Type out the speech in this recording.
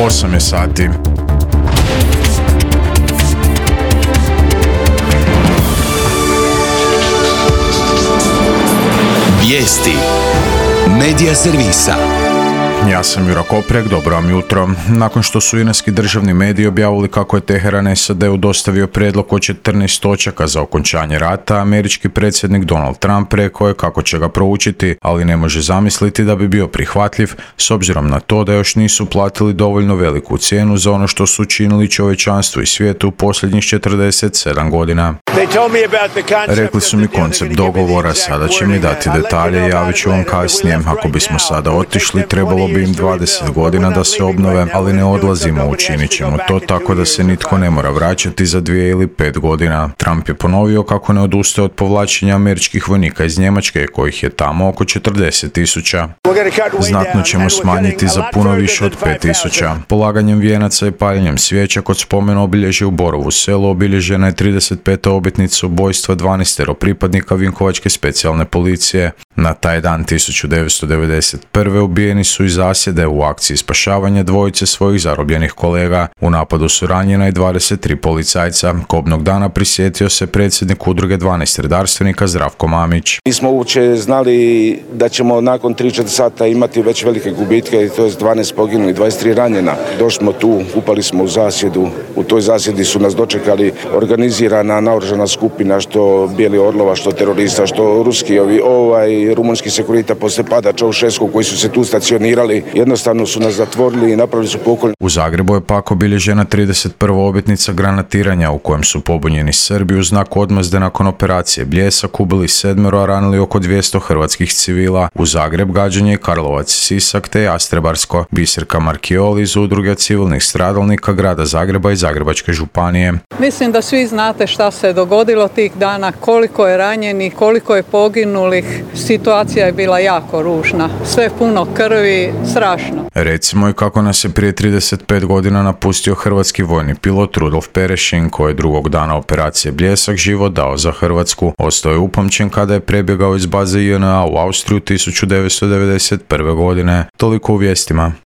8 je sati. Vijesti Medija servisa. Ja sam Jura Koprek, dobro vam jutro. Nakon što su iranski državni mediji objavili kako je Teheran SAD-u dostavio prijedlog od 14 točaka za okončanje rata, američki predsjednik Donald Trump rekao je kako će ga proučiti, ali ne može zamisliti da bi bio prihvatljiv s obzirom na to da još nisu platili dovoljno veliku cijenu za ono što su učinili čovječanstvu i svijetu u posljednjih 47 godina. Rekli su mi koncept dogovora, sada će mi dati detalje, javit ću vam kasnije. Ako bismo sada otišli, trebalo bi im 20 godina da se obnove, ali ne odlazimo, učinit ćemo to tako da se nitko ne mora vraćati za 2 ili 5 godina. Trump je ponovio kako ne odustaje od povlačenja američkih vojnika iz Njemačke, kojih je tamo oko 40,000. Znatno ćemo smanjiti za puno više od 5,000. Polaganjem vijenaca i paljenjem svijeća kod spomena obilježja u Borovu Selu obilježena je 35. obljetnica ubojstva 12 pripadnika Vinkovačke specijalne policije. Na taj dan 1991. ubijeni su iz zasjede u akciji spašavanja dvojice svojih zarobljenih kolega. U napadu su ranjena i 23 policajca. Kobnog dana prisjetio se predsjednik udruge 12 redarstvenika Zdravko Mamić. Nismo uopće znali da ćemo nakon 3-4 sata imati već velike gubitke, to je 12 poginuli, 23 ranjena. Došli smo tu, upali smo u zasjedu. U toj zasjedi su nas dočekali organizirana naoružana skupina, što Bijeli Orlova, što terorista, što ruski rumunski sekurita poslije pada Čaušesku koji su se tu stacionirali. Jednostavno su nas zatvorili i napravili su pokolj. U Zagrebu je pak obilježena 31. obljetnica granatiranja u kojem su pobunjeni Srbi u znak odmazde nakon operacije Bljesak ubili 7, a ranili oko 200 hrvatskih civila. U Zagreb gađanje je Karlovac, Sisak te Jastrebarsko. Biserka Markioli iz udruge civilnih stradalnika grada Zagreba i Zagrebačke županije. Mislim da svi znate šta se dogodilo tih dana, koliko je ranjenih, koliko je poginulih. Situacija je bila jako ružna. Sve puno krvi, strašno. Recimo i kako nas je prije 35 godina napustio hrvatski vojni pilot Rudolf Perešin, koji je drugog dana operacije Bljesak život dao za Hrvatsku. Ostao je upamćen kada je prebjegao iz baze JNA u Austriju 1991. godine. Toliko u vijestima.